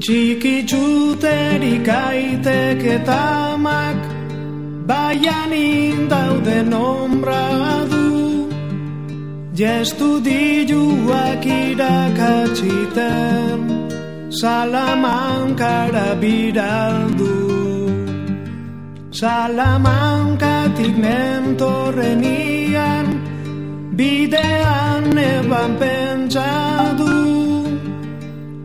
Txiki txuterik aitek eta amak, baian indauden ombra du, jestudiluak irakatsiten, Salamankara biraldu. Salamankatik nentorrenian, bidean eban pentsadu,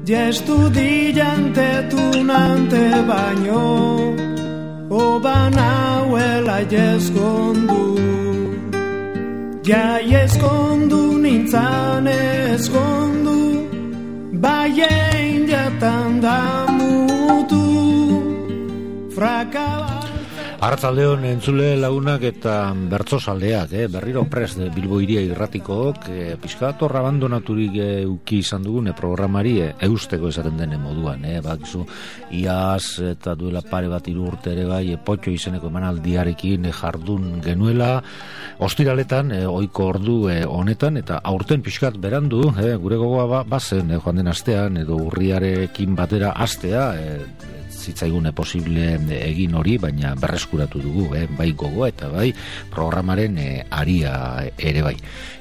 jestudiante tunante baino, oban hauela jeskondu. Ja eskondu nintzan eskondu, baien jatan da mutu, frakaba. Arratzaldeon entzule lagunak eta bertzozaldeak, berriro prest Bilbo Hiria irratikook, pixkator abandonaturik uki izan dugune programari eusteko esaten dene moduan, bakizu iaz eta duela pare bat 3 urte ere bai potxo izeneko emanaldiarekin jardun genuela, ostiraletan, ohiko ordu honetan, eta aurten pixkat berandu, gure gogoa bazen joan den astean, edo urriarekin batera astea, zitzaigune posible egin hori, baina berreskuratu dugu, bai gogoa eta bai programaren aria ere bai.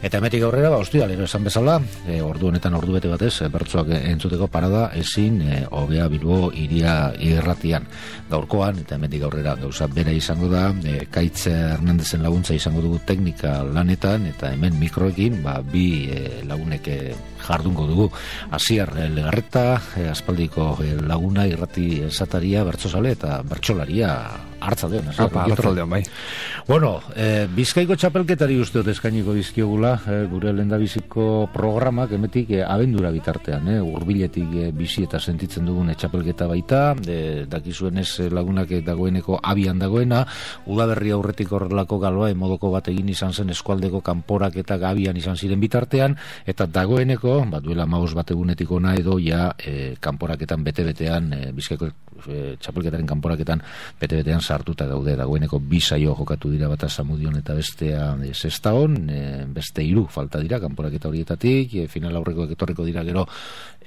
Eta emetik aurrera, ostiralero esan bezala, ordu honetan ordu bete batez, bertsoak entzuteko parada ezin hobea Bilbo Hiria irratian. Gaurkoan, eta emetik aurrera gauza bera izango da, Kaitz Hernandezen laguntza izango dugu teknika lanetan, eta hemen mikroekin, bi lagunek jardungo dugu. Asier Legarreta, aspaldiko laguna irrati esataria, bertsozale eta bertsolaria. Arratzaldeon. Arratzaldeon, bai. Bueno, Bizkaiko txapelketari usteot eskainiko dizkiogula, gure lehendabiziko programak emetik abendura bitartean, hurbiletik bizi eta sentitzen dugun txapelketa baita, dakizuenez lagunak dagoeneko abian dagoena, udaberri aurretik horrelako galoa emodoko bat egin izan zen eskualdeko kanporak eta gabian izan ziren bitartean, eta dagoeneko, duela 15 bat egunetik ona edo ja kanporaketan bete-betean, Bizkaiko txapelketaren kanporaketan bete-betean sartuta daude. Dagoeneko 2 saio jokatu dira, bata Zamudion eta bestea Sestaon, beste 3 falta dira kanporaketa horietatik, final aurrekoek etorriko dira gero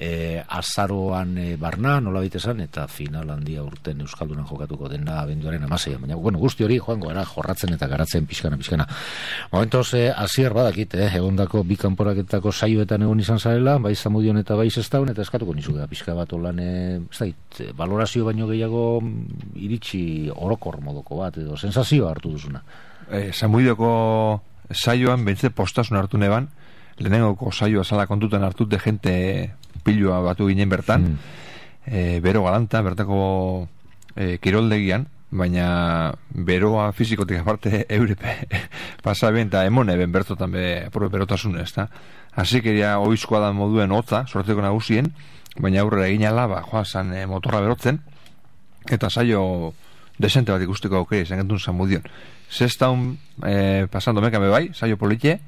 azaroan barna, nola esan, eta final handia urten Euskaldunan jokatuko dena abenduaren 16. Baina, guzti hori joango gara jorratzen eta garatzen pixkana. Momentoz, Asier badakit, egondako 2 kanporaketako saioetan egon izan zarela, bai Zamudion eta bai Sestaon, eta eskatuko nizuga pixka bat olan, valorazio baino gehiago iritsi orokor modoko bat, edo sensazioa hartu duzuna. Zamudioko saioan bentze postasun hartu neban, lehenengoko saioa sala kontutan hartute jente pilua batu ginen bertan, bero galanta, bertako kiroldegian, baina beroa fizikotik aparte eurepe pasaben eta emone ben bertotan berotasun ez da. Hasi keria oizkoa da moduen hotza, sortzeko nagusien, baina aurrera egin ala, joan motorra berotzen, eta saio desente bat ikusteko aukera izan gentun Zamudion. Sestaun pasando mekame bai, saio politxe,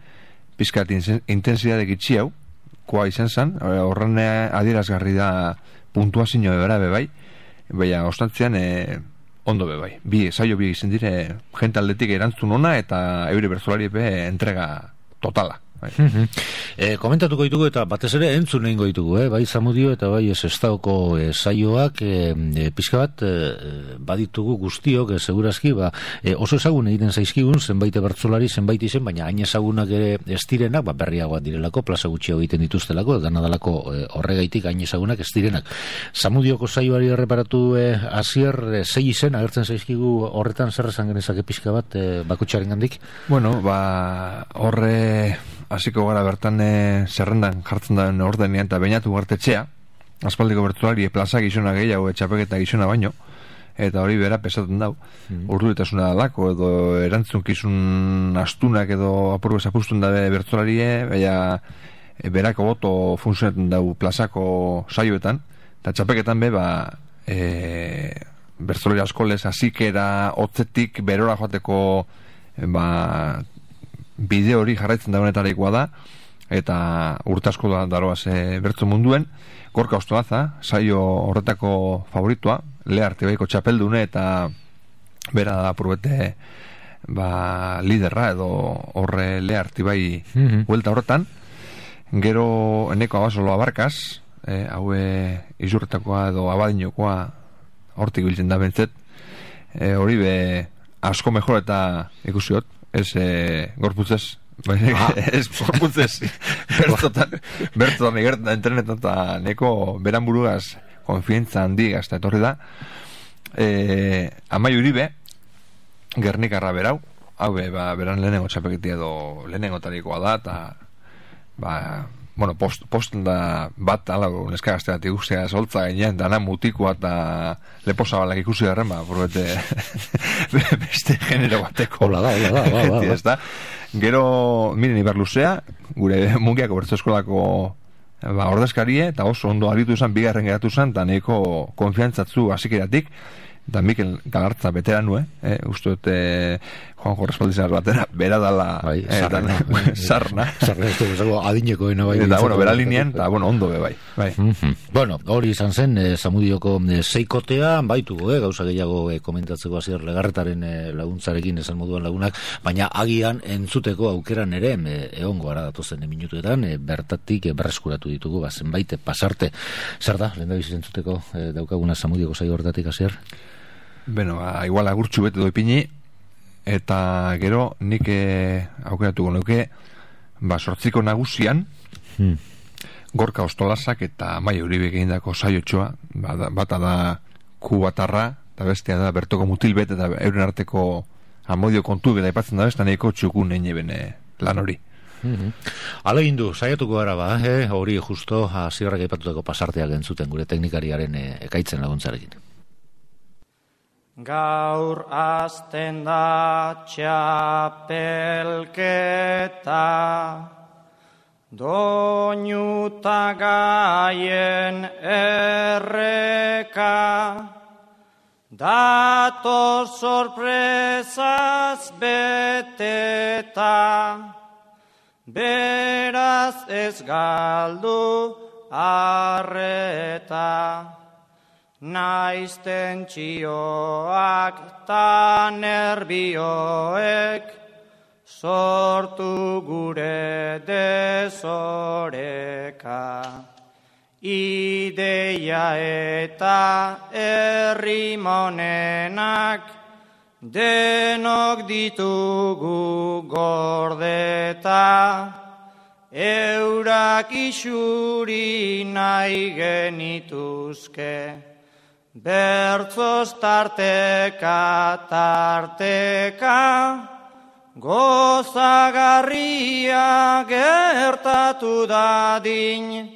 pizkat intensidadek itxi hau, koa izan zen, horren adierazgarri da puntuazio bebera bai, baina ostantzean ondo bai. Saio bi izan dire, jente aldetik erantzun ona eta eure bertzolari entrega totala. Komentatuko ditugu eta batez ere entzun egingo ditugu, bai Zamudio eta bai Sestaoko saioak, pixka bat baditugu guztiok, segurazki, oso ezagun egiten zaizkigun, zenbait bertsolari, zenbait izen, baina hain ezagunak ere ez direnak, berriagoak direlako, plaza gutxiago egiten dituztelako, danadalako horregaitik hain ezagunak ez direnak. Zamudioko saioari erreparatu Asier, 6 izen agertzen zaizkigu horretan, zer esan genezake pixka bat bakotxaren gandik? Bueno, horre hasiko gara bertan zerrendan jartzen da ordenean eta bainatu gartetxea, aspaldiko bertsolari plaza gizona gehiago etxapeketa gizona baino, eta hori bera pesatzen dau. Urduritasuna dalako edo erantzunkizun astunak edo apurbe zapustun da bertsolarie, baina berako boto funtzionatzen dau plazako saioetan, eta txapeketan bertsolari askolez azikera hotzetik berora joateko bide hori jarraitzen da honetareikoa da, eta urtasko daroaz bertso munduen. Gorka Ostoaza, saio horretako favoritua, Learte baiko txapeldune, eta bera da apurbete liderra edo horre Learte bai huelta horretan. Gero eneko abasolo abarkaz, haue izurretakoa edo abadinokoa hortik biltzen da bentzet, hori be asko mejor eta ikusiot, ez gorputzez, ez gorputzez, bertotan egertan da internetan eta neko beran burugaz konfientza handigaz eta etorri da, Amai Uribe, Gernikarra berau, hau beran lehenengo txapelketi edo lehenengo tarikoa da, eta bueno, posten da bat alago neska gazteat ikustea soltza gainean, dana mutikoa eta lepo zabalak ikusi garren, probete beste genero bateko. Hola da. Da. Gero, miren Ibar Luzea, gure Mungiako Bertso Eskolako ordezkarie, eta oso ondo aritu zen, bigarren geratu zen, eta nahiko konfiantzatzu hasikeratik, eta Mikel Galartza veteranu, uste dut Juanjo Respaldizar batera, bera dala sarna. Adinekoena bai. Eta, bera linean, eta, ondo be bai. Bueno, hori izan zen, Zamudioko seikotea, baituko, gauza gehiago komentatzeko Asier Legarretaren laguntzarekin esan moduan lagunak, baina agian entzuteko aukeran ere, egongo gara datozen minutuetan, bertatik berreskuratu ditugu, zenbait pasarte. Zer da, lehendabizi entzuteko daukaguna Zamudioko saio hortatik, Asier? Beno, igual agurtxu bete doipini, eta gero nik aukeratuko nuke sortziko nagusian Gorka Ostolasak eta Amai Uribe egindako saiotxoa, bata da kubatarra eta bestea da bertoko mutilbet eta euren arteko amodio kontu eta aipatzen da bestan eko txukun egin lan hori. Alegindu, saiatuko gara hori justo Asierrak aipatutako pasarteak entzuten gure teknikariaren ekaitzen laguntzarekin. Gaur azten da txapelketa, doinuta gaien erreka, dator sorpresaz beteta, beraz ez galdu arreta. Naiz tentsioak ta nerbioek sortu gure desoreka. Ideia eta errimonenak denok ditugu gordeta, eurak isuri nahi genituzke. Bertzoz tarteka, gozagarria gertatu dadin,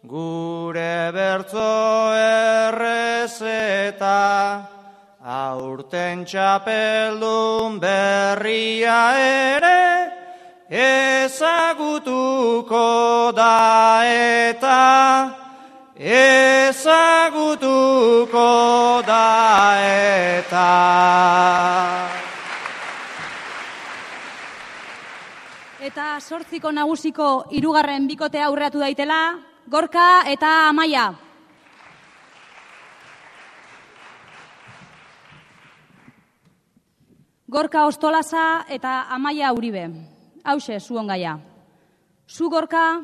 gure bertzo errezeta, aurten txapeldun berria ere, ezagutuko da eta, ezagutuko da eta. Eta 8 nagusiko 3. bikotea aurreatu daitela, Gorka eta Amaia. Gorka Ostolaza eta Amaia Uribe. Hauxe, zuon gaia. Zu Gorka,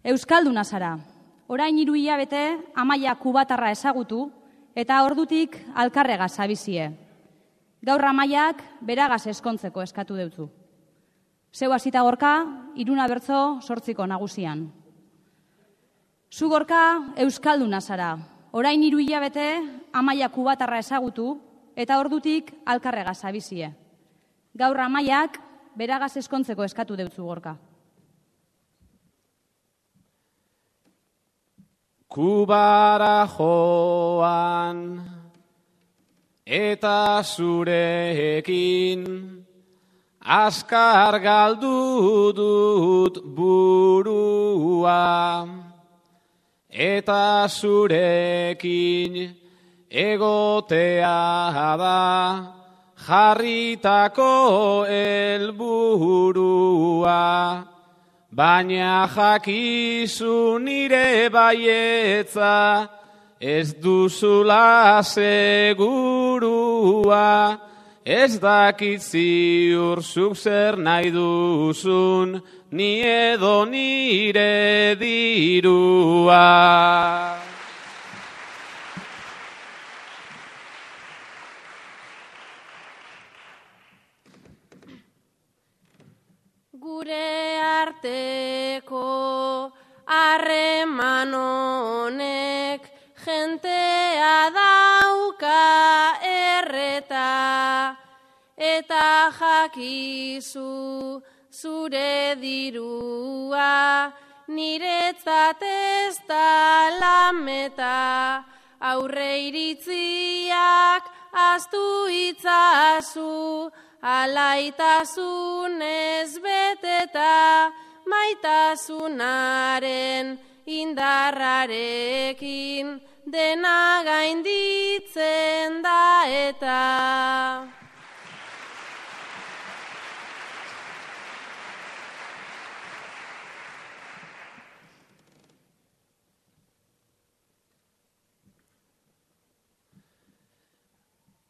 euskalduna zara. Orain 3 hilabete Amaia kubatarra ezagutu eta ordutik alkarrega zabizie. Gaur Amaiak beragaz eskontzeko eskatu deutzu. Zeu hasita Gorka, 3 bertzo 8 nagusian. Zu Gorka euskalduna zara. Orain 3 hilabete Amaia kubatarra ezagutu eta ordutik alkarrega zabizie. Gaur Amaiak beragaz eskontzeko eskatu deutzu Gorka. Kubara joan eta zurekin azkar galdu dut burua eta zurekin egotea da jarritako helburua. Baina jakizu nire baietza, ez duzula segurua, ez dakit ziur zuk zer nahi duzun, ni edo nire dirua. Gure arteko harreman honek jentea dauka erreta, eta jakizu zure dirua niretzat ez da lameta, aurre iritziak ahaztu itzazu, alaitasunez beteta, maitasunaren indarrarekin dena gainditzen da eta.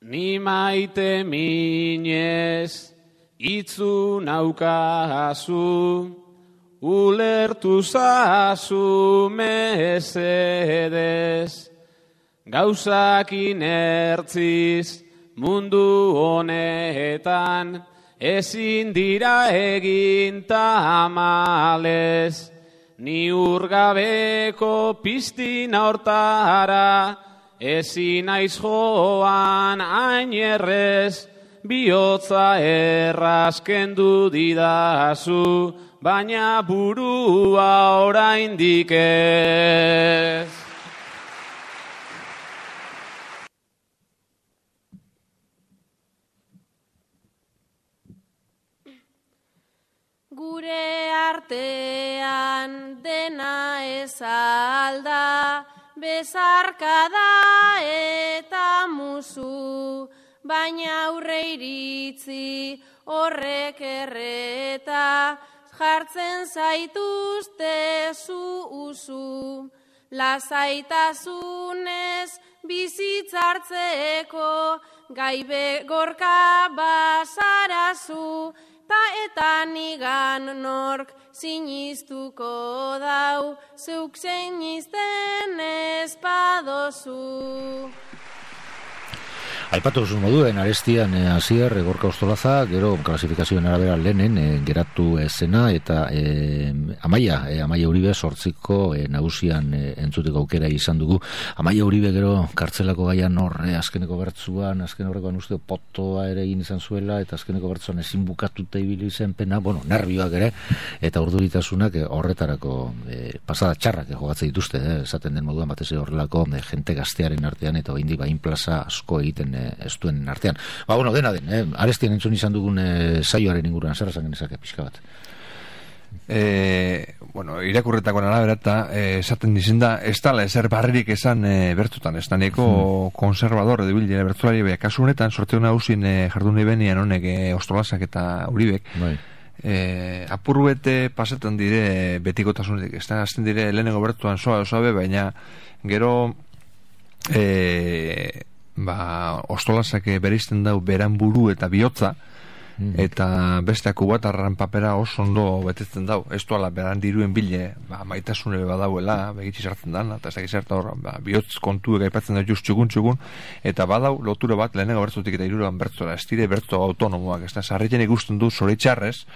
Ni maite minez itzu naukazu, ulertu zazu mesedez, gauzak inertziz mundu honetan ezin dira egin tamalez, ni urgabeko piztina hortara ezin naiz joan ainerrez, bihotza errazkendu didazu, baina burua oraindik ez. Gure artean dena ez alda, bezarkada eta musu, baina aurre iritzi horrek erreta, jartzen zaituzte zu, lasaitasunez bizitzartzeko, gaibe gorka bazarazu, eta nigan nork siniztuko dau, zeuk sinizten espadozu. Aipatu zuen moduen, arestian Asier, Gorka Ostolaza, gero klasifikazioen arabera lehenen geratu zena, eta Amaia Uribe sortziko nagusian entzuteko aukera izan dugu. Amaia Uribe gero kartzelako gaian azkeneko bertzuan, azken horrekoan uste potoa ere egin izan zuela, eta azkeneko bertzuan ezin bukatuta ibili zen pena, nervioak ere, eta urduritasunak horretarako pasada txarrak jogatzen dituzte, esaten den moduan batez horrelako jente gaztearen artean, eta oraindik bain plaza asko egiten ez duen artean. Dena den, arestian entzun izan dugun saioaren inguruan, zer esan genezake pixka bat? Irakurretakoan arabera eta esaten dizen da, ez dala ezer barririk esan bertutan, ez da neko konservador edo bilera bertulari, baina kasu honetan, sorteo nagusien jardun ibenian honek Ostolazak eta Uribek, apurruete pasetan dire betikotasunetik, ez da, azten dire lehenengo bertuan soabe, baina gero Ostolazak bereizten dau beran buru eta bihotza, eta beste kubatarran papera oso ondo betetzen dau, ez duala beran diruen bile maitasune badauela, begitzi sartzen dan, eta ez dakiz harta hor bihotz kontuek aipatzen da just txukun, eta badau lotura bat lehenengo bertzotik eta hirugarren bertzora, ez dire bertzo autonomoak, ez da, sarritzen ikusten du zoritxarrez,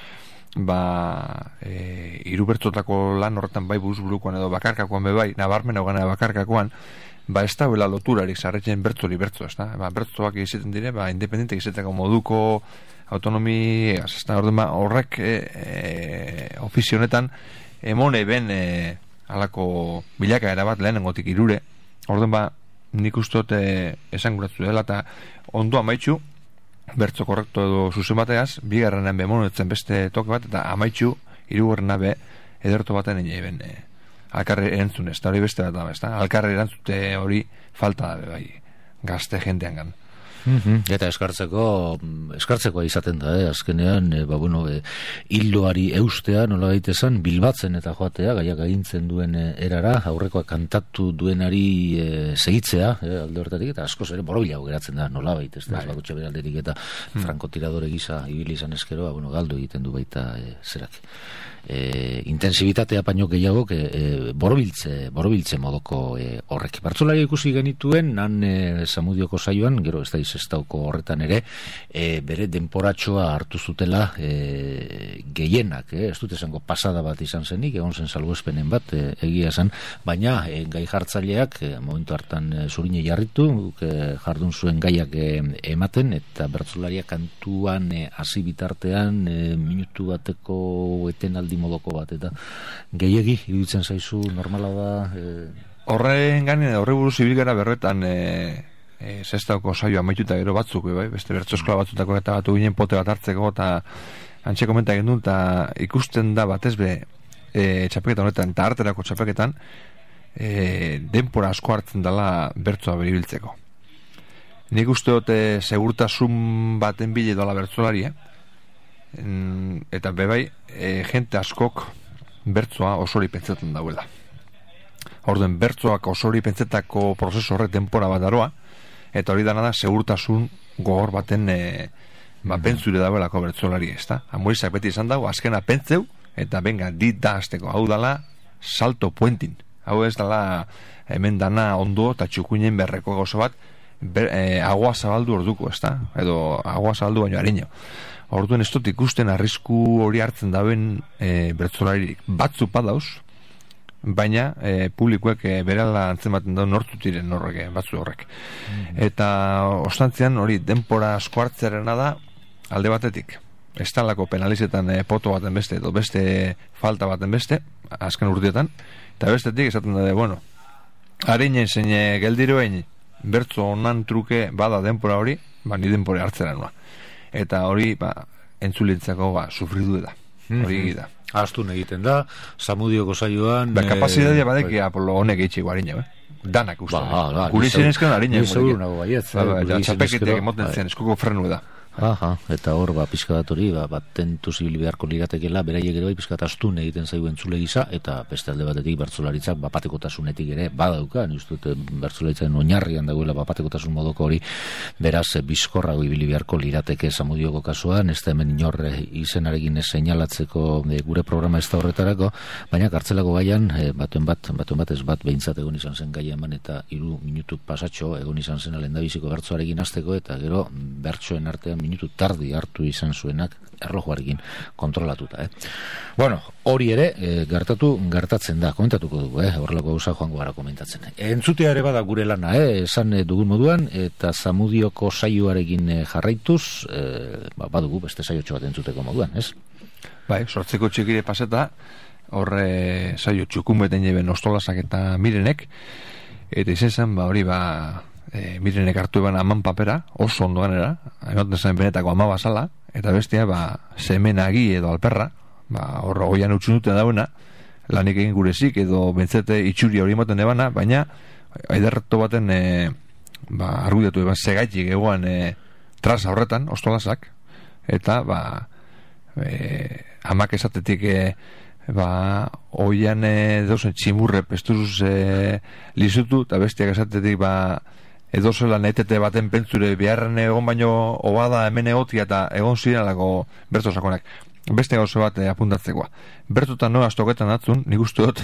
hiru bertzotako lan horretan bai buzburukoan edo bakarkakoan bebai, nabarmen hau bakarkakoan, ez da bela loturarik sarritzen bertzori bertzo, ez da, bertzoak izaten dire, independentek izateko moduko autonomi, ez da, horrek ofizionetan emone ben alako bilakaera bat lehenengotik irure, nik usteot esan guratzu dela, eta ondo amaitxu, bertzo korrekto edo zuzen bateaz, bigarrenan bemonetzen beste toke bat, eta amaitxu, hirugarrena be, ederto baten ben alkarri erantzun, hori beste bat da, alkarri erantzute hori falta da, bai, gazte jentean gan. Eta eskartzekoa izaten da, azkenean, hildoari eustea, nola gaitezan, bilbatzen eta joatea, gaiak agintzen duen erara, aurrekoa kantatu duenari segitzea, alde horretatik, eta askoz ere borobilago geratzen da, nola baita, ez da, bakotxe beralderik eta frankotiradore gisa ibili izan eskero, galdu egiten du baita zerak. Intensibitatea paino gehiago borobiltze modoko horrek. Bertsolari ikusi genituen nan Zamudioko saioan, gero ez da izestauko horretan ere, bere denporatxoa hartu zutela gehienak, ez dut esango pasada bat izan zenik, egon zen salbuespenen bat, egia esan, baina gai jartzaileak momentu hartan zurine jarritu, jardun zuen gaiak ematen, eta bertsolariak kantuan hasi bitartean minutu bateko etenaldi modoko bat, eta gehiegi iruditzen zaizu normala da horre buruz ibil gara berretan zestauko saioa maituta gero batzuk, beste bertso eskola batzutako eta batu ginen pote bat hartzeko, eta antxe komenta gendun, eta ikusten da batez be txapeketa honetan eta arterako txapeketan denpora asko hartzen dela bertsoa beribiltzeko. Nik uste dute segurtasun baten bile dola bertsolari, eta bebai jente askok bertsoa osori pentsatzen dauela. Orduen bertsoak osori pentsetako prozesu horrek denpora bat daroa, eta hori dana da segurtasun gogor baten pentsure dauelako bertsolari, ez da? Amorizak beti izan dago, azkena pentseu, eta benga, dit da azteko, hau dala salto puentin, hau ez dala hemen dana ondo eta txukuinen berreko gozo bat, agua zabaldu orduko, ez da? Edo agua zabaldu baino harino. Orduen ez dut ikusten arrisku hori hartzen dauen bertsolaririk batzu padauz, baina publikoek berala antzematen da nortzut diren horrek, batzu horrek. Eta ostantzian hori denpora asko hartzerena da alde batetik. Estalako penalizetan poto baten beste, edo beste falta baten beste, azken urteetan, eta bestetik esaten da, harinen zein geldiroen bertzo onan truke bada denpora hori, ni denpora hartzera noa. Eta hori entzulintzako sufridu da, hori da. Astun egiten da, Zamudioko saioan kapazitatea badeki Apolo honek eitxeko harina, danak uste guri zinezkan harina txapeketeak emoten zen eskuko frenu da. Eta hor pixka bat hori tentu zibili beharko liratekela, beraiek ere pixka astun egiten zaigu entzule gisa, eta beste alde batetik bertsolaritzak bapateko-tasunetik ere badauka, uste dut bertsolaritzaren oinarrian dagoela bapateko-tasun modoko hori, beraz bizkorrago ibili beharko lirateke Zamudioko kasuan, ez da hemen inor izenarekin seinalatzeko gure programa ez da horretarako, baina kartzelako gaian batuen bat ez bat behintzat egon izan zen gaia eman, eta 3 minutu pasatxo egon izan zen lehendabiziko bertsoarekin hasteko, eta gero bertsoen artean minutu tardi hartu izan zuenak erlojuarekin kontrolatuta. Bueno, hori ere gertatzen da, komentatuko dugu, horrelako gauza joango gara komentatzen. Entzutea ere bada gure lana, esan dugun moduan, eta Zamudioko saioarekin jarraituz, badugu beste saiotxo bat entzuteko moduan, ez? Bai, sortzeko txikire paseta, horre saio txukun beten jeben Ostolasak eta Mirenek, eta izen zen, hori Mirenek hartu eban aman papera, oso ondo ganera, ematen zen benetako ama basala, eta bestia, semenagi edo alperra, horra goian utxun dute dauena, lanik egin gurezik, edo bentzete itxuri hori ematen ebana, baina, aiderreto baten, argudiatu eban segaitik egoan trasa horretan, Ostolasak, eta, amak esatetik, oian dauzen tximurre pestuzuz lizutu, eta bestiak esatetik, edo zela naitete baten pentsure beharren egon baino obada hemen egotia eta egon ziralako bertso sakonak. Beste gauze bat apuntatzekoa. Bertotan noa astoketan atzun, nik uste dut,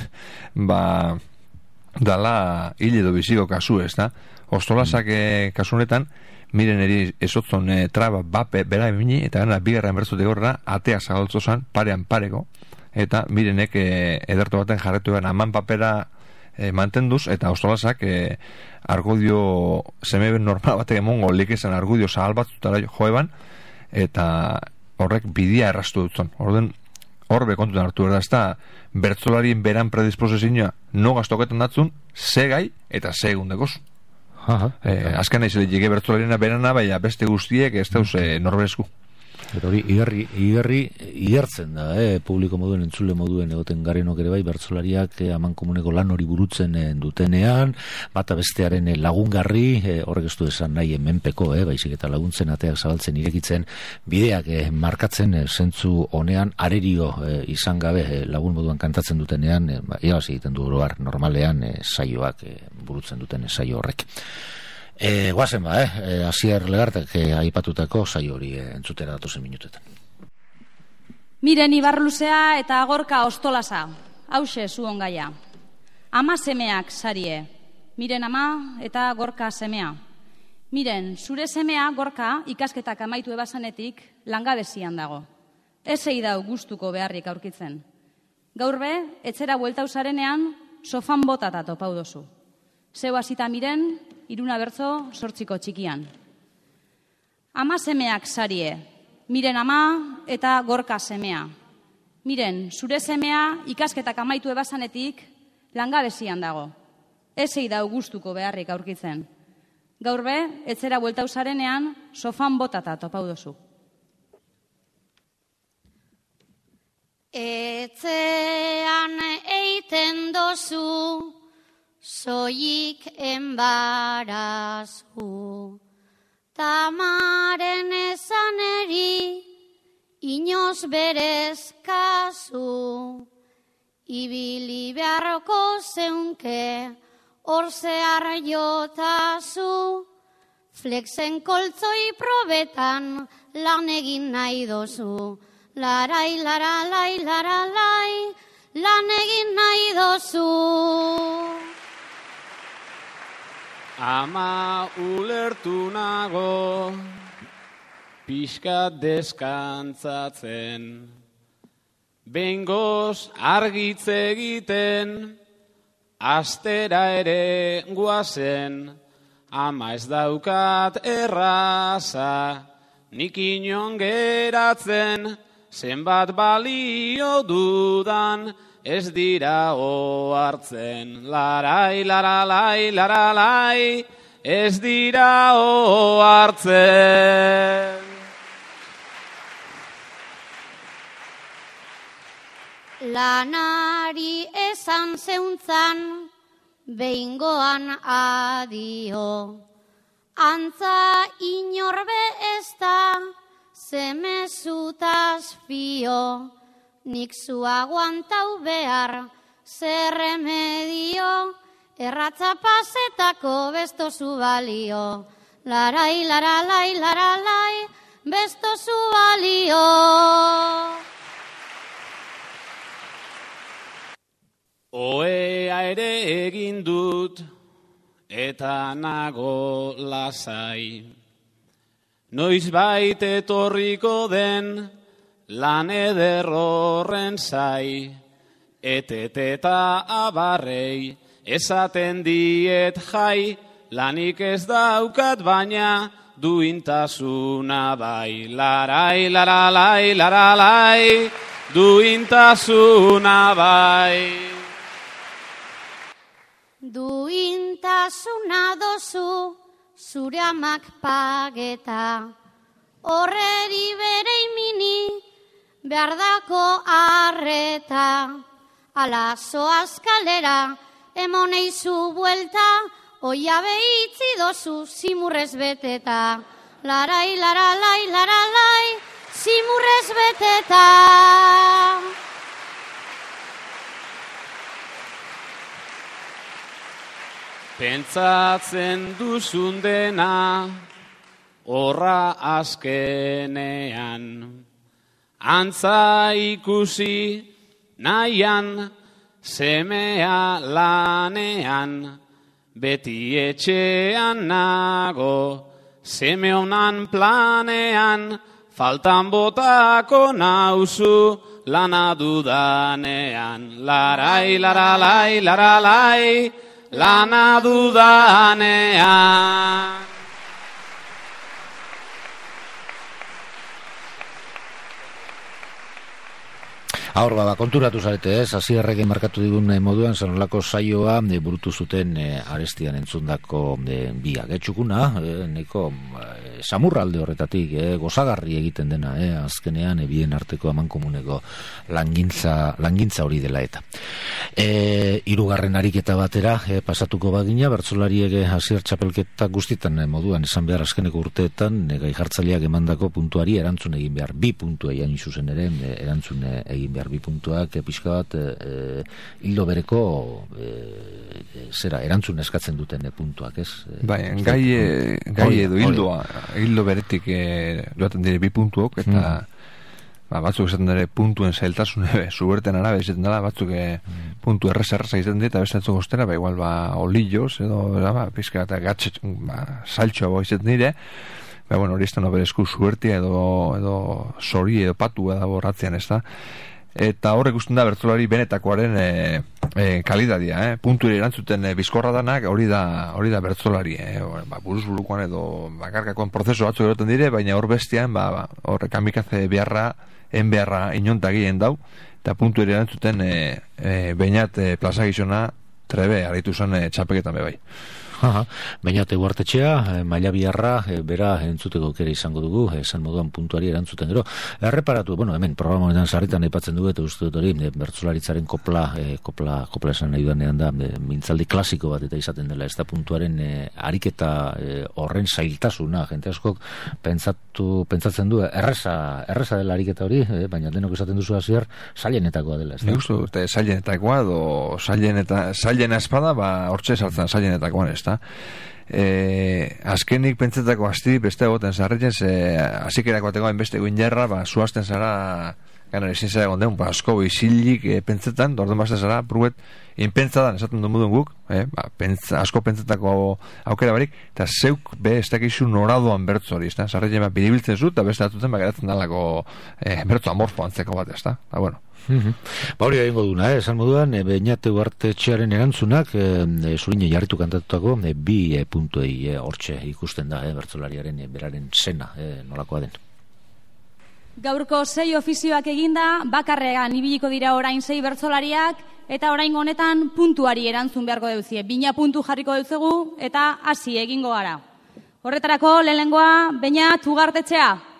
dala hil edo biziko kasu, ez da? Ostolasak kasunetan, miren eri esotzon traba bape bera emini, eta gana bigarren bertzote gorra, atea zagaltzozan, parean pareko, eta mirenek ederto baten jarretu egan aman papera mantenduz, eta Ostolasak argudio semeben normal batek emongo likezan argudio zahal batzutara joeban, eta horrek bidia errastu dutzen. Horbe kontutan hartu da, ez da bertzolarien beran predisposizioa no gaztoketan datzun, ze gai eta ze egundekoz. Azken nahi zelik bertzolarien berana, baina beste guztiek ez dauz norberezku. Eta hori, igertzen da, publiko moduen, entzule moduen egoten garenok ere bai, bertsolariak aman komuneko lan hori burutzen dutenean, bata bestearen lagungarri, horrek ez du esan nahi menpeko, baizik eta laguntzen, ateak zabaltzen, irekitzen, bideak markatzen, zentzu honean, arerio izan gabe lagun moduan kantatzen dutenean, irabazi egiten du oroar, normalean saioak burutzen duten saio horrek. Guazen Asier Legartek aipatutako saio hori entzutera datozen minutetan. Miren Ibarluzea eta Gorka Ostolasa, hause zuon gaia. Ama semeak sarie, miren ama eta Gorka semea. Miren, zure semea Gorka ikasketak amaitu ebasanetik langabezian dago. Ezei dau gustuko beharrik aurkitzen. Gaur be, etzera bueltau zarenean, sofan botata topau dozu. Zeu hasita miren, 3 bertso 8 txikian. Ama semeak sarie, miren ama eta Gorka semea. Miren, zure semea ikasketak amaitu ebasanetik langabezian dago. Ezei dau gustuko beharrik aurkitzen. Gaur be, etzera bueltau zarenean, sofan botata topau dozu. Etzean eiten dozu, soilik enbarazu, tamaren ezaneri, inoz berez kasu, ibili beharroko zeunke, hor zehar jotazu, flexen koltzoi probetan lan egin nahi dozu, larai, laralai, laralai, lan egin nahi dozu. Ama ulertu nago, pixkat deskantzatzen, behingoz argitze egiten, astera ere guazen, ama ez daukat erraza, nik inon geratzen, zenbat balio dudan, ez dira ohartzen, larai, laralai, laralai, ez dira ohartzen. Lanari esan zeuntzan, behingoan adio, antza inorbe ez da, zemezutaz fio, nik zu aguantau behar, zer remedio, erratza pasetako bestozu balio. Larai, laralai, laralai, bestozu balio. Oea ere egin dut, eta nago lasai. Noizbait etorriko den, lan eder horren zai, eteteta abarrei, esaten diet jai, lanik ez daukat baina, duintasuna bai. Larai, laralai, laralai, duintasuna bai. Duintasuna dozu, zure amak pageta, horreri bere imini, behardako arreta, ala zoaz kalera, emoneizu buelta, oia behitzi dozu zimurrez beteta. Larai, laralai, laralai, zimurrez beteta. Pentsatzen duzun dena, horra azkenean, antza ikusi nahian, semea lanean, beti etxean nago, seme honan planean, faltan botako nauzu lana dudanean. Larai, laralai, laralai, lana dudanean. Hor, konturatu zarete, Hasierrek markatu digun moduan, zanolako saioa burutu zuten arestian entzundako biak. Txukuna, neko samurralde horretatik, gozagarri egiten dena, azkenean bien arteko amankomuneko langintza hori dela eta. Hirugarren ariketa batera pasatuko bagina, bertsolariek Hasier txapelketa guztietan moduan esan behar azkeneko urteetan gai jartzaileak emandako puntuari erantzun egin behar 2 puntua iain zuzen ere erantzun egin behar 2 puntuak pixka bat hildo bereko erantzun eskatzen duten puntuak, ez? Bai, gai edo hildo beretik joaten dire 2 puntuok eta batzuk esaten dira puntuen zailtasun zuberten arabe izaten dela, batzuk puntu erreza izaten dira, eta beste batzuk ostera, igual olillos edo pizka eta gatxe saltxoa izaten dire, bueno, hori ez da berezku zubertia edo sori edo patu edo borratzean ez da. Eta horrek usten da bertsolari benetakoaren kalidadia, puntuari erantzuten bizkorra danak, hori da bertsolari, buruz burukoan edo bakarkakoan prozeso batzuk eroten dire, baina hor bestian, hor kamikaze beharra inontagien dau, eta puntuari erantzuten bainat plazagizona trebe aritu zen txapeketan bebai. Bainate Uartetxea, maila biharra, bera entzuteko kere izango dugu, esan moduan puntuari erantzuten gero. Erreparatu, hemen programa honetan sarritan aipatzen dugu, eta uste dut hori, bertsolaritzaren kopla esan nahi duanean da, mintzaldi klasiko bat eta izaten dela, ez da puntuaren ariketa horren zailtasuna, jente askok pentsatzen du, erreza dela ariketa hori, baina denok esaten duzu Hasier, zailenetakoa dela, ez da? Nik uste, zailenetakoa, edo zailena espada, hortxe saltzen zailenetakoan, ez da? Azkenik pentsetako asti beste egoten zarretez azikerako bategoa enbeste guinjarra zuazten zara gana ezin zara egon asko izilik pentsetan orden bazten zara pruet inpentsadan esaten duen guk asko pentsetako aukera barik eta zeuk ez dakizu noradoan bertzo hori zarretez biribiltzen zu eta beste atuten geratzen dalako bertzo amorfo antzeko bat ez da bueno. Hori egingo duna, esan moduan Beñate Uartetxearen erantzunak zurine jarritu kantatutako 2 puntuei hortxe ikusten da bertsolariaren beraren zena nolakoa den. Gaurko 6 ofizioak eginda, bakarrean ibiliko dira orain 6 bertsolariak eta orain honetan puntuari erantzun beharko deuzie. 2 puntu jarriko deutzegu eta hasi egingo gara. Horretarako lehenengoa Beñat Uartetxea.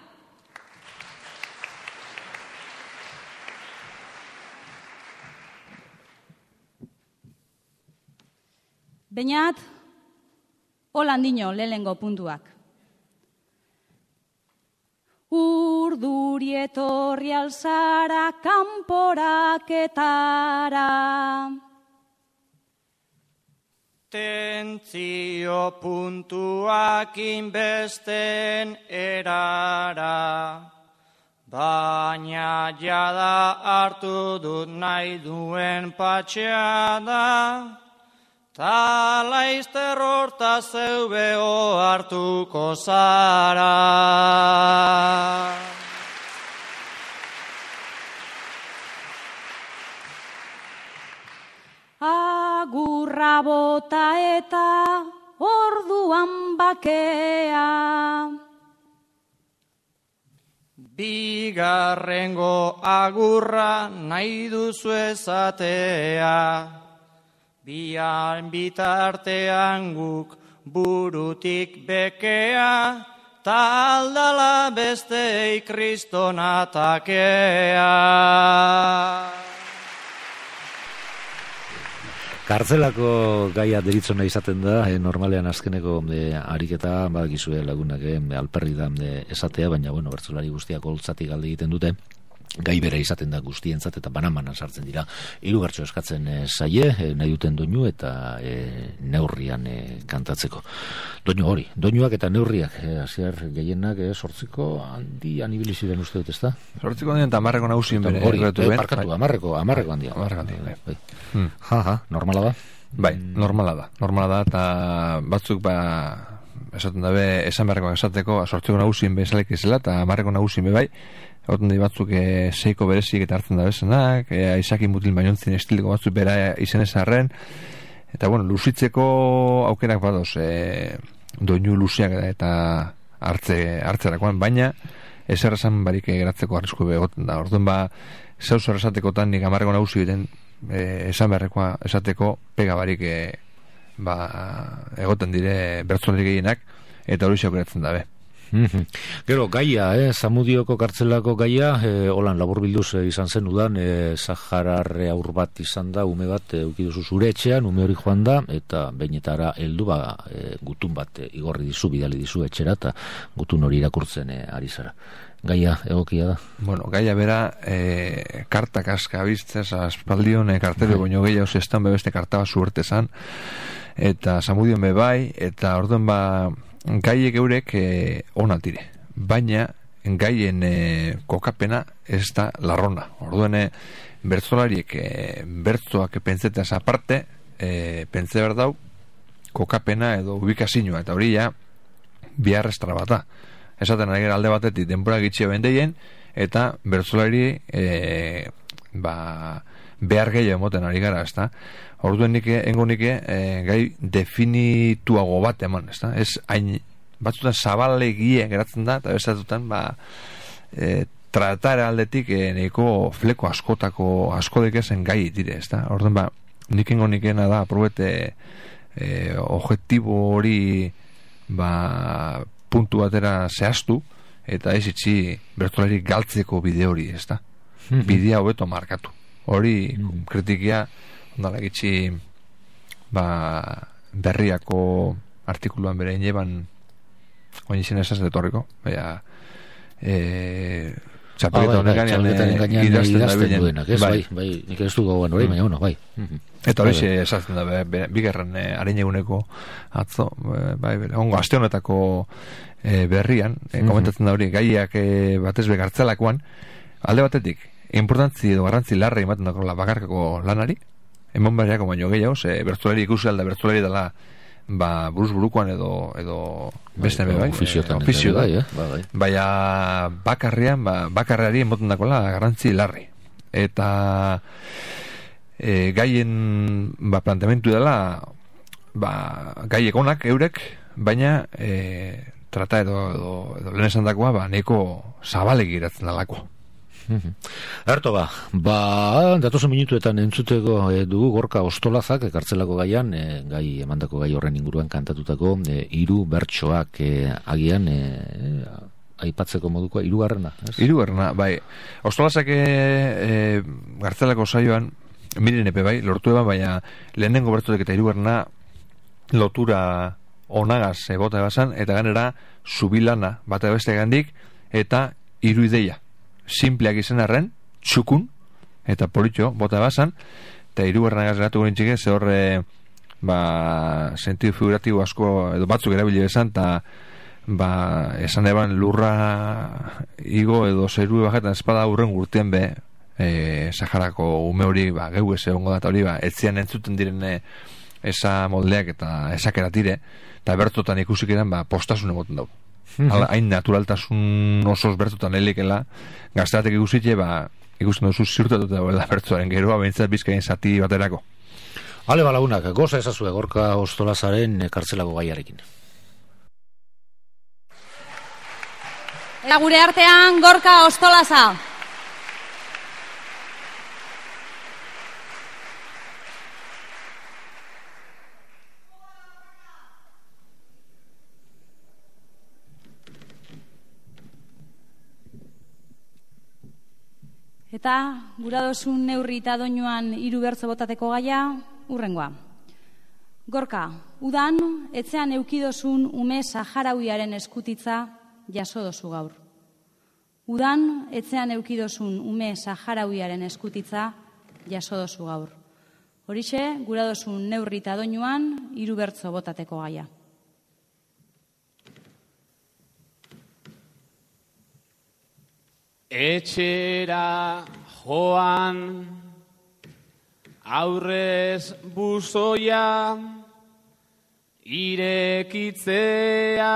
Beñat, holandino lehenengo puntuak. Urduri etorri alzara kanporaketara. Tentzio puntuak inbesten erara. Baina jada hartu dut nahi duen patxeada. Ta laizter horta zeubeo hartuko zara. Agurra bota eta orduan bakea. Bigarrengo agurra nahi duzu ezatea. Bian bitartean guk burutik bekea, taldala bestei kristonatakea. Kartzelako gaia deritzona izaten da, normalean azkeneko ariketa, badakizue lagunak alperri da esatea, baina bertsolari guztiak holtzatik alde egiten dute. Gai bera izaten da guztientzat eta banan sartzen dira. 3 bertso eskatzen zaie, nahi duten doinu eta neurrian kantatzeko. Doinuak eta neurriak, Hasier gehienak 8ko handian ibili ziren uste dut, ezta? 8ko handian eta 10ko nagusien bere. Parkatu, 10ko handian. Normala da? Bai, normala da eta batzuk esaten dabe esan beharrekoak esateko 8ko nagusien bezalek izela eta 10ko nagusien bai. Horten da batzuk 6ko berezik eta hartzen da bezenak, Aizaki Mutil Baiontzin estiliko batzuk bera izenez arren, eta luzitzeko aukerak badoz, doinu luzeak eta hartzerakoan, baina ezer esan barik geratzeko arrisku egoten da. Orduan zeu zer esatekotan nik amarreko nagusi biten esan beharrekoa esateko pega barik egoten dire bertzolari gehienak, eta hori xaukeratzen dabe. Gero, gaia, Zamudioko kartzelako gaia, holan laburbilduz izan zen udan, Saharar aur bat izan da, ume bat eukiduzu zure etxean, ume hori joan da, eta behinetara heldu gutun bat igorri dizu, bidali dizu etxera, eta gutun hori irakurtzen ari zara. Gaia egokia da? Bueno, gaia bera, kartak aska biztez, aspaldion kartero baino gehiago zestan bebeste kartaba zuerte zan, eta Zamudion bebai, eta orduan gaiek eurek onatire, baina gaien kokapena ez da larrona. Orduan bertzolariek bertzoak pentsetaz aparte pentse behar dau kokapena edo ubikazioa, eta hori ja biharrestra bata. Esaten ari gara alde batetik denbora gitxia bendeien, eta bertzolari behar gehiago emoten ari gara, ezta? Orduen gai definituago bat eman, ezta? Ez hain batzutan zabalegie geratzen da, eta bezatutan tratara aldetik nahiko fleko askodek ezen gai dire, ezta? Orduen nikena da aprobete objektibo hori puntu batera zehaztu, eta ez itxi bertolari galtzeko bide hori, ezta? Bidea hobeto markatu. Hori kritikia ondala gitxi berriako artikuluan bere ineban oinizien esaz detorriko, txapeleta honek gainean idazten duenak, ez? Bai, nik ez du gauan hori, baina bai. Eta hori esazten da, bigarren harin atzo, ongo aste honetako berrian, komentatzen da hori, gaiak batez begartzelakoan, alde batetik, importantzi edo garrantzi larra ematen dako bakarkako lanari, emon berriako baino gehiago, bertzolari ikusi alda, bertzolari dela buruz-burukoan edo beste ofizio da, baina bakarreari emoten dakola garrantzi larri, eta gaien planteamentu dela gaiek onak eurek, baina trata edo lehen esan dakoa neko zabalek iratzen dalako. Erto datozen minutuetan entzuteko dugu Gorka Ostolazak kartzelako gaian, gai emandako gai horren inguruan kantatutako 3 bertsoak agian aipatzeko moduko 3. Hirugarrena, bai. Ostolazak kartzelako saioan miren epe bai, lortu eban, baina lehenengo bertsotek eta 3. lotura onagaz bota ebasan, eta ganera zubilana bat beste gandik, eta 3 ideia. Simpleak izan arren, txukun, eta politxo, bota basan, eta 3 geratu gure txike, ze horre sentidu figuratibo asko, edo batzuk erabili bezan, eta esan eban lurra igo edo zeru bajetan espada urren gurtien Saharako ume hori, geu ez egongo data hori, etzian entzuten diren esa moldeak eta esakeratire, eta bertotan ikusik eran, postasun emoten dau. Hain naturaltasun osoz bertutan helikela gaztatek ikusitxe ikusten duzu ziurtatuta dagoela bertuaren geroa behintzat bizkain zati baterako. Ale balagunak, goza ezazue Gorka Ostolazaren kartzelako gaiarekin. Eta gure artean Gorka Ostolaza. Eta guradosun neurri eta doinuan 3 bertso botateko gaia urrengoa. Gorka, udan etzean eukidozun ume saharauiaren eskutitza jaso dozu gaur. Udan etzean eukidozun ume saharauiaren eskutitza jaso dozu gaur. Horixe, guradosun neurri eta doinuan 3 bertso botateko gaia. Etxera joan, aurrez buzoia, irekitzea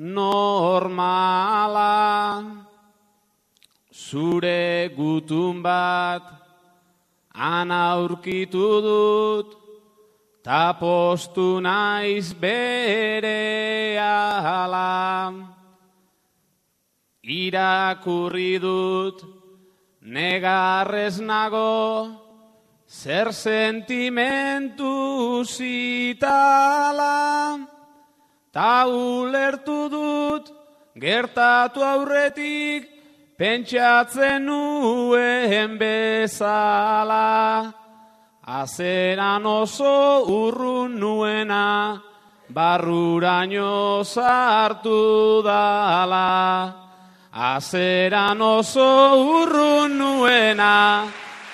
normala, zure gutun bat ana aurkitu dut, ta postu naiz berehala. irakurri dut, negarrez nago, zer sentimentu zitala, ta ulertu dut, gertatu aurretik, pentsatzen nuen bezala. Azeran oso urrun nuena, barruraino sartu dala. Azeran oso urrun nuena,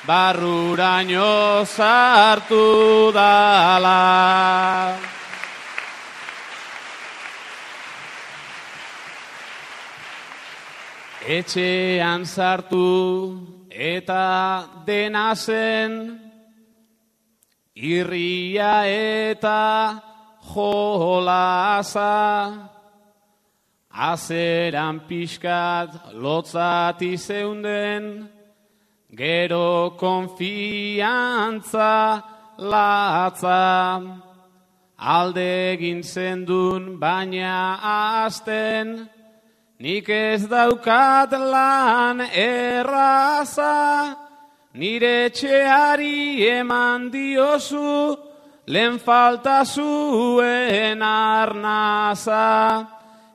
barruraino sartu dala. Etxean sartu eta dena zen, irria eta jolasa, azeran pixkat lotzati zeunden, gero konfiantza latza, alde egin zendun baina azten, nik ez daukat lan erraza, nire etxeari eman diozu, lehen falta zuen arnaza.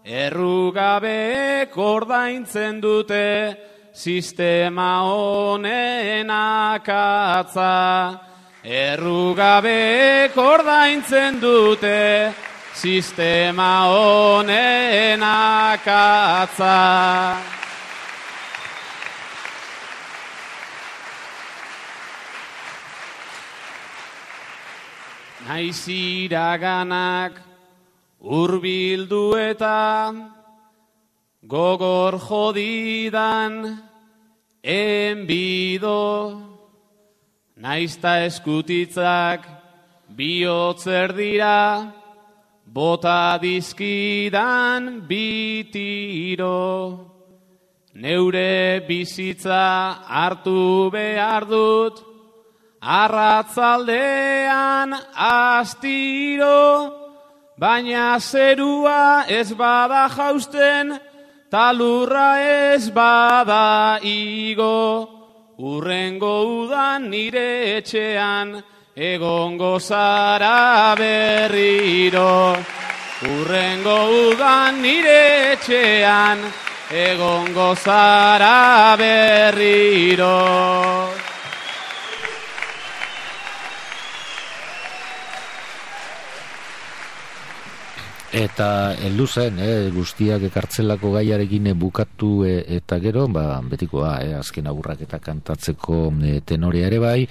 Errugabeek ordaintzen dute, sistema honen akatza. Errugabeek ordaintzen dute, sistema honen akatza. Naiz iraganak hurbildu eta gogor jodidan enbido, naizta eskutitzak bihotzer dira, bota dizkidan bitiro. Neure bizitza hartu behar dut, arratzaldean astiro, baina zerua ez bada jausten, talurra ez bada igo. Urrengo udan nire etxean, egongo zara berriro. Urrengo udan nire etxean, egongo zara berriro. Eta heldu zen, guztiak ekartzelako gaiarekin bukatu eta gero, betikoa, azken agurrak eta kantatzeko tenorea ere bai,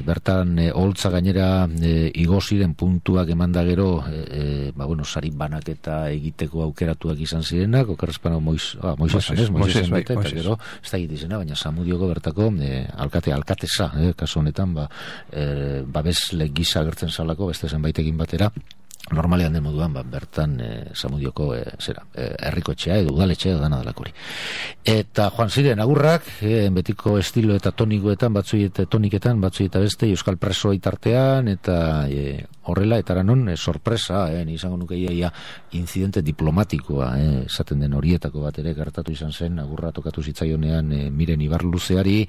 bertan holtza gainera igo ziren puntuak emanda gero, sari banaketa egiteko aukeratuak izan zirenak, okerrezpano Moisesen baita, eta gero, ez da egitizena, baina Zamudioko bertako alkateza, kasu honetan, babesle gisa agertzen zalako, beste zenbaitekin batera, normalean den moduan, bertan Zamudioko herriko etxea edo udaletxea dana delakori. Eta joan ziren agurrak, betiko estilo eta tonikoetan, toniketan, batzui eta beste, euskal presoa itartean, eta horrela, eta aranon, sorpresa, izango nuke ia incidente diplomatikoa, esaten den horietako bat ere gertatu izan zen, agurra tokatu zitzaionean Miren Ibarluzeari,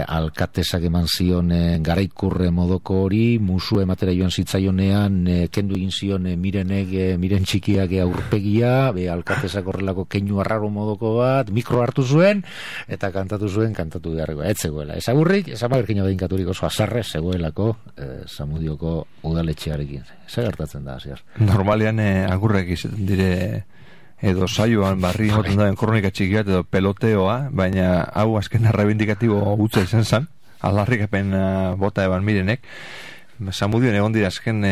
alkatesak eman zion garaikurre modoko hori, musu ematera joan zitzaionean, kendu egin zion Miren txikiak aurpegia, alkatesak horrelako keinu arraro modoko bat, mikro hartu zuen, eta kantatu beharreko, ez zegoela. Ez agurrik, ez amagerkina bedinkaturik oso azarre, zegoelako Zamudioko udaletxearekin. Zer gertatzen da, ziar? Normalean agurrek izaten dire edo saioan barri moten dauen kronika txikiat edo peloteoa, baina hau azken arrebindikatibo gutza izan zen, aldarrikapen bota eban Mirenek. Zamudioan egon dira azken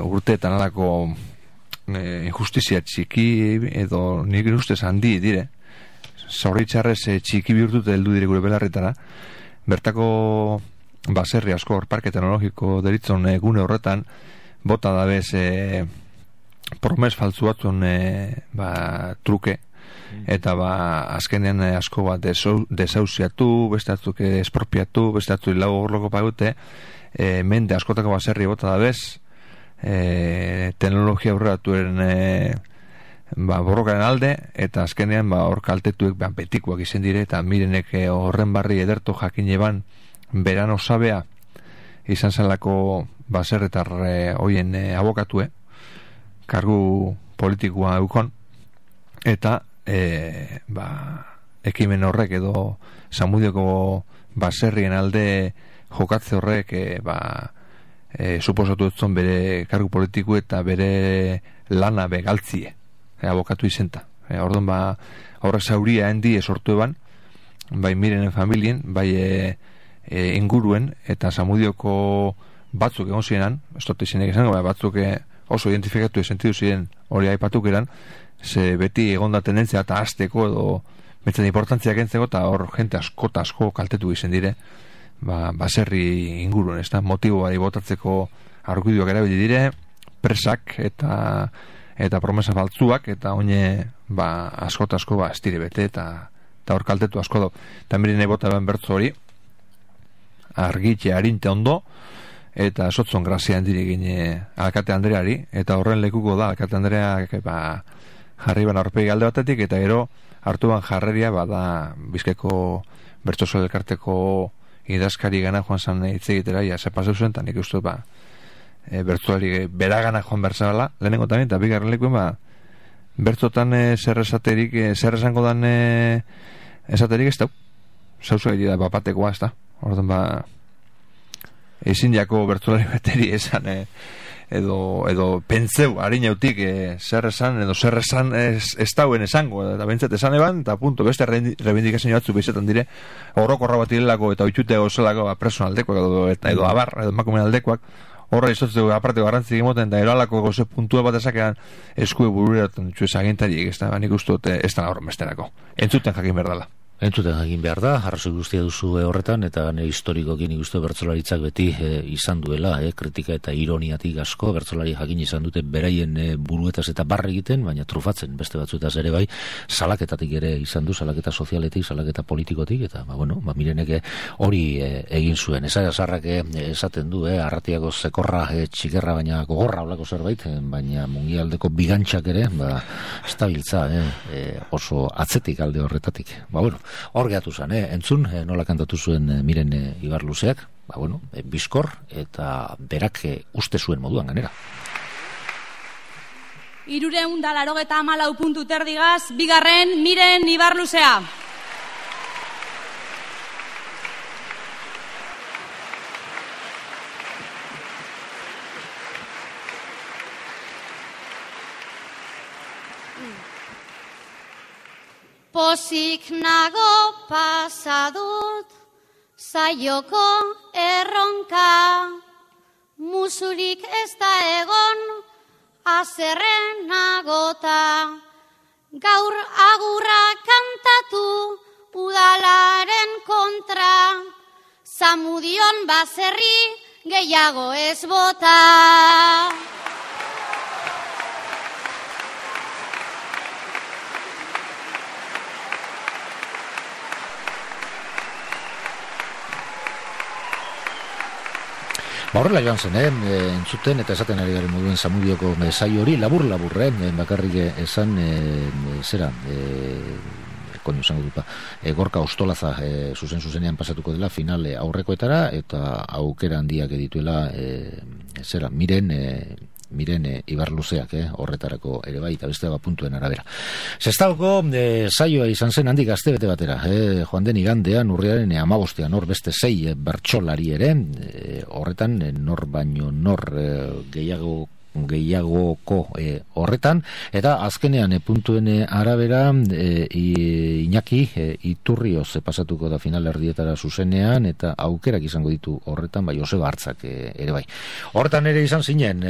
urteetan alako injustizia txiki edo nik ustez handi dire, zoritxarrez txiki bihurtute heldu dire gure belarretara. Bertako baserri asko parke teknologiko deritzon gune horretan bota dabez promes faltzu batzun truke eta azkenean asko bat desauziatu, bestatzuk espropiatu, bestatzuk lau horloko pagute, mende askotako baserri bota dabez, teknologia aurreratuaren borrokaren alde, eta azkenean hor kaltetuek betikoak izen dire, eta Mirenek horren barri edertu jakin eban beran osabea izan zelako baserretar hoien abokatue, kargu politikoa eukon, eta ekimen horrek edo Zamudioko baserrien alde jokatze horrek suposatu etzon bere kargu politiku eta bere lana begaltzie abokatu izenta. Orduan horrek zauria hendi sortu eban, bai Mirenen familien, bai inguruen, eta Zamudioko batzuk egon zirenan, ez dut izenek izango, batzuk oso identifikatu sentidu ziren hori aipatuk eran, ze beti egonda tendentzia eta azteko edo betzen importantziak entzeko, eta hor jente asko kaltetu izen dire, baserri inguruen, ez da, motiboari botatzeko argudioak erabili dire, presak eta promesa faltzuak, eta oine asko ez dire bete, eta hor kaltetu asko do. Eta Mirene bota ben bertzo hori, argitxe harinte ondo, eta sotzon grazia handire gine Alkate Andreari, eta horren lekuko da Alkate Andreak jarri ban aurpegi alde batetik, eta gero hartu ban jarreria bada Bizkaiko bertsoso elkarteko idazkari gana joan zan hitz egitera, ja sepaseu zuen, eta nik uste bertsoari beragana joan berzabala, lehenengo tamien, eta bigarren lekuen bertsotan zer esango dan esaterik ez dau, zauzu egite da bapatekoa ez da, orduan ezin jako bertsolari beteri esan edo pentseu harinautik zer esan edo zer esan ez dauen esango, eta bentzat esan eban, eta punto, beste rebindikazio batzu behizetan dire orokorra bat irelako eta oitxute ozelako personaldekoak edo abar, edo emakumen aldekoak, horra izotzeko aparteko garrantzik emoten, eta eralako goze puntua bat esakean eskue burureratzen txuez agintariek, ez da, nik uste ez da horren besterako, entzuten jakin berdala. Entzuten jakin behar da, arrazoi guztia duzu horretan, eta historikoki nik uste bertsolaritzak beti izan duela, kritika eta ironiatik asko, bertsolari jakin izan dute beraien buruetaz eta barre egiten, baina trufatzen beste batzuetaz ere bai, salaketatik ere izan du, salaketa sozialetik, salaketa politikotik, eta Mirenek hori egin zuen. Esarrak esaten du, arratiako zekorra txikerra, baina gogorra olako zerbait, baina mungialdeko bigantxak ere, estabiltza oso atzetik alde horretatik. Hor gehatu zen, entzun, nola kantatu zuen Miren Ibarluzeak, bizkor, eta berak uste zuen moduan ganera. 384 puntu terdigaz, bigarren Miren Ibarluzea. Pozik nago pasadut, zaioko erronka, musurik ez da egon, azerren nagota. Gaur agurra kantatu, udalaren kontra, Zamudion baserri gehiago ez bota. Horrela joan zen, entzuten eta esaten ari garen moduen Zamudioko saio hori, labur, bakarrik esan, Gorka Ostolaza zuzenean pasatuko dela finale aurrekoetara, eta aukera handiak edituela Miren Ibarluzeak horretarako ere bai, eta beste puntuen arabera. Sestaoko saioa izan zen handik astebete batera, joan den igandean urriaren 15ean, hor beste 6 bertsolari ere, horretan nor baino nor gehiagoko horretan, eta azkenean puntuen arabera Iñaki Iturrioz pasatuko da final erdietara zuzenean, eta aukerak izango ditu horretan, bai Joseba Hartzak ere bai. Horretan ere izan zinen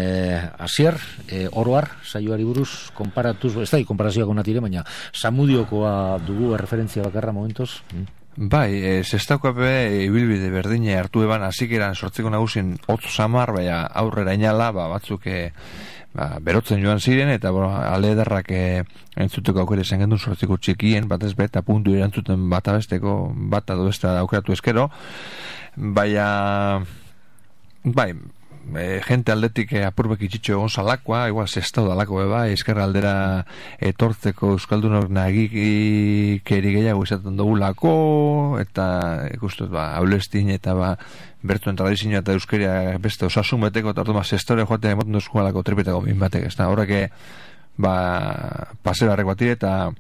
Asier, oroar saioari buruz konparatuz, ez da konparazioak onatire, baina Zamudiokoa dugu referentzia bakarra momentuz. Bai, zestaukape ibilbide berdine hartu eban, hasikeran sortzeko nagusien hotz samar, baina aurrera inala, batzuk berotzen joan ziren, eta ale ederrak entzuteko aukera izan gendun sortzeko txikien, batez eta puntu erantzuten bata besteko, bata do besta aukeratu eskero, baina bai, gente aldetik apurbek itxitxo egon zalakoa, igual zestau dalako eskerra aldera etortzeko euskaldunok nagikeri gehiago izaten dugulako, eta ikustut, aulestin eta bertuen tradizioa eta euskeria beste osasun beteko, eta orduan zestore joatea emoten duzko alako tripetako min batek, ez da, horrek pasera arrek bat eta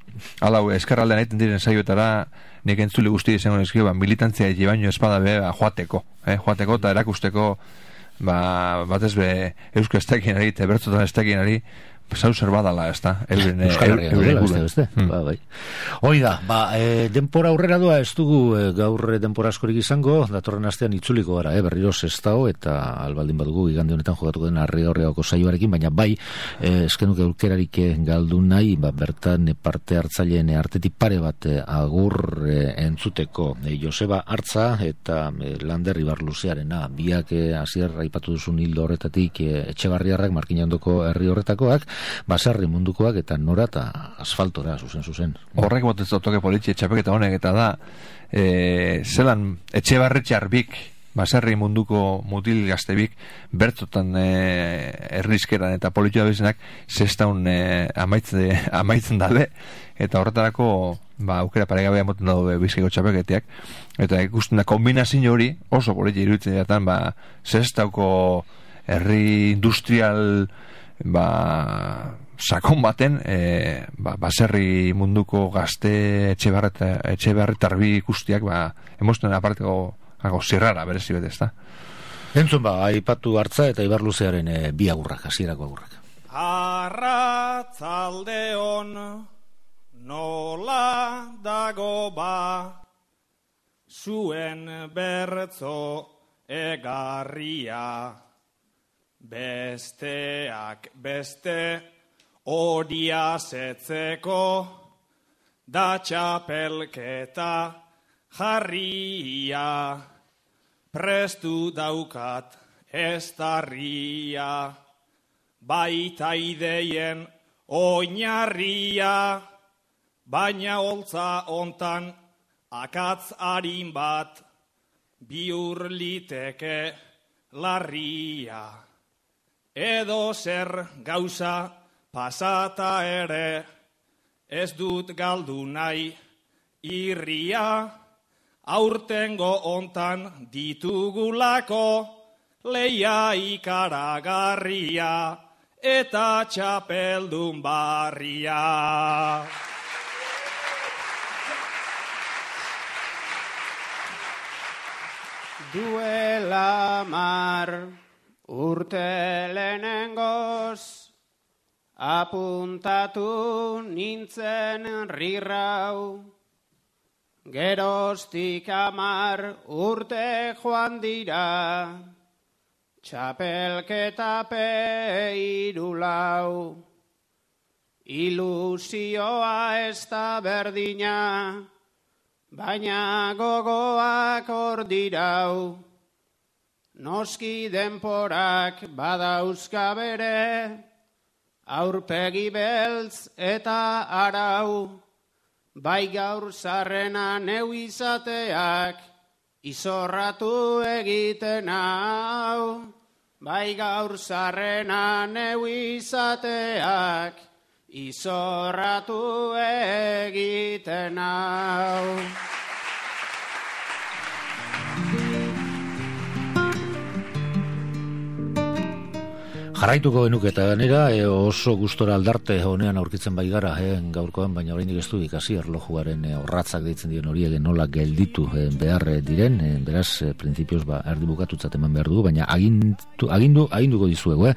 halau eskerra aldean egiten diren saioetara nik entzule guzti izango nizkio, militantzia egi baino espada joateko eta erakusteko batez be eusko estekinari eta bertzotan estekinari zauzer badala, ez da, Euskal Herria beste. Hoi da, denpora aurrera doa, ez dugu gaur denpora askorik izango, datorren astean itzuliko gara, berriro Sestao, eta albaldin badugu igande honetan jokatuko den Arrigorriagoko saioarekin, baina eskenuke aukerarik galdu nahi, bertan parte hartzaileen artetik pare bat agur entzuteko Joseba Artza eta Lander Ibarluzearena, biak hasier aipatu duzun hildo horretatik Etxebarriarrak, Markina ondoko herri horretakoak, baserri mundukoak eta nora eta asfaltora zuzen. Horrek botez toke politxe txapeketa honek eta da zelan Etxebarretxarbik baserri munduko mutil gaztebik bertotan errizkeran eta politxoa bezenak zestaun amaitzen dabe eta horretarako aukera paregabea moten dago Bizkaiko txapeketiak eta ikusten da kombinazio hori oso politxe iruditzen datan zestauko herri industrial sakon baten baserri munduko gazte etxebarretarbi ikustiak emosten aparteko zirrara berezi bete, ezta? Entzun aipatu Artza eta Ibarluzearen bi agurrak, hasierako agurrak. Arratzaldeon nola dago zuen bertzo egarria besteak beste odia zetzeko da txapelketa jarria prestu daukat estarria baita ideien oinarria baina holtza ontan akatz harin bat bihur liteke larria edo zer gauza pasata ere ez dut galdu nahi irria aurtengo ontan ditugulako leia ikaragarria eta txapeldun barria. Duela mar urte lehenengoz apuntatu nintzen rirrau, geroztik 10 urte joan dira, txapelketa peirulau. Ilusioa ez da berdina, baina gogoak hor dirau. Noski denporak badauzka bere, aurpegi beltz eta arau. Bai gaur zarrena neu izateak, izorratu egiten hau. Bai gaur zarrena neu izateak, izorratu egiten hau. Jarraituko genuke eta ganera oso gustora aldarte honean aurkitzen bai gara gaurkoan, baina oraindik ez du ikasi erlojuaren orratzak deitzen diren horiek nola gelditu behar diren, beraz printzipioz erdi bukatutzat eman behar dugu, baina aginduko dizuegu.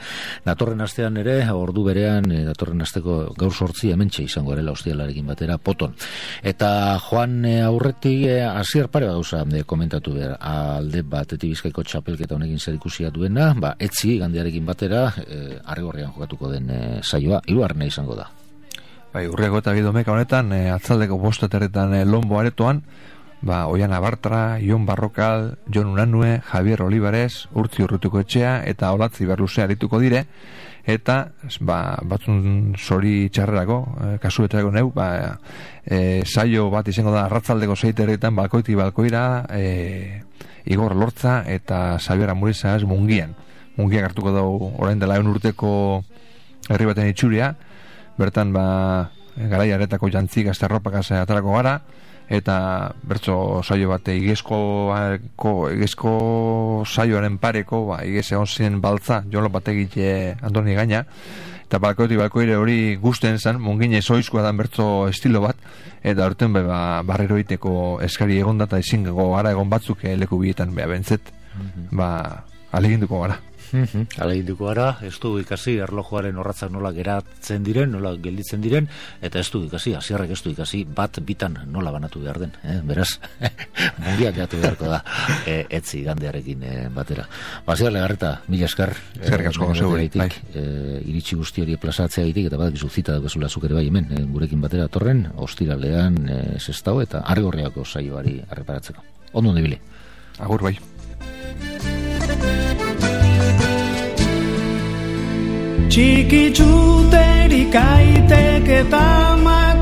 Datorren astean ere, ordu berean, datorren asteko gaur 8 hementxe izango garela ostialarekin batera poton. Eta joan aurretik hasier pare bat gauza komentatu behar, alde batetik Bizkaiko txapelketa honekin zer ikusia duena, etzi gandearekin batera Arrigorrian jokatuko den saioa, 3. izango da. Urriako eta Bidomeka honetan, atzaldeko 5 aterretan Lombo aretoan, Oiana Bartra, Ion Barrokal, Jon Unanue, Javier Olivares, Urtzi Urrutuko etxea eta Olatzi Berluzea arituko dire, eta batzun zori txarrerako, kasuetarako neu, saio bat izango da arratzaldeko 6 aterretan, balkoitik balkoira, Igor Lortza eta Xabier Amurizaz Mungian. mungiak hartuko dugu orain dela 100 urteko herri baten itxuria, bertan garai aretako jantzik azterropak atarako gara, eta bertso saio bat igezko saioaren pareko, igez egon zen baltza, jolo bat egite Andoni Gaina, eta balkoire hori gusten zen, mungine zoizkoa dan bertso estilo bat, eta horten barrero iteko eskari egon data ezingo gara egon batzuk leku bietan bentzet, aleginduko gara. Aleginduko gara, ez du ikasi erlojuaren orratzak nola geratzen diren, nola gelditzen diren, eta ez du ikasi, hasierrek ez du ikasi, bat bitan nola banatu behar den, beraz, mungiak gatu beharko da, etzi gandearekin batera. Basiar Legarreta, mila esker, iritsi guzti hori plazatzea gaitik, eta badakizu zita dagoezula zuk ere bai hemen, gurekin batera torren, ostiralean Sestao eta Arrigorriako saioari arreparatzeko. Ondo ondibili. Agur bai. Txikitzuterik aitek eta amak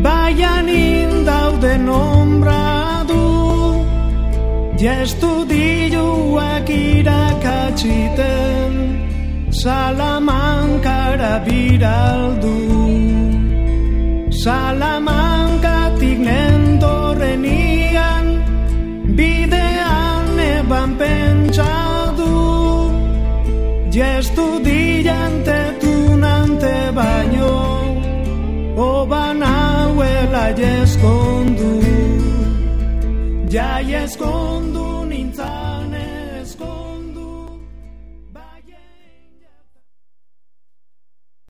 baian indauden ombra du, jestudioak irakatziten Salamankara biraldu. Salamankatik nentorrenian bidean eban pentsadu, jestudiante tunante baino oban hauela jeskondu, ja jeskondu.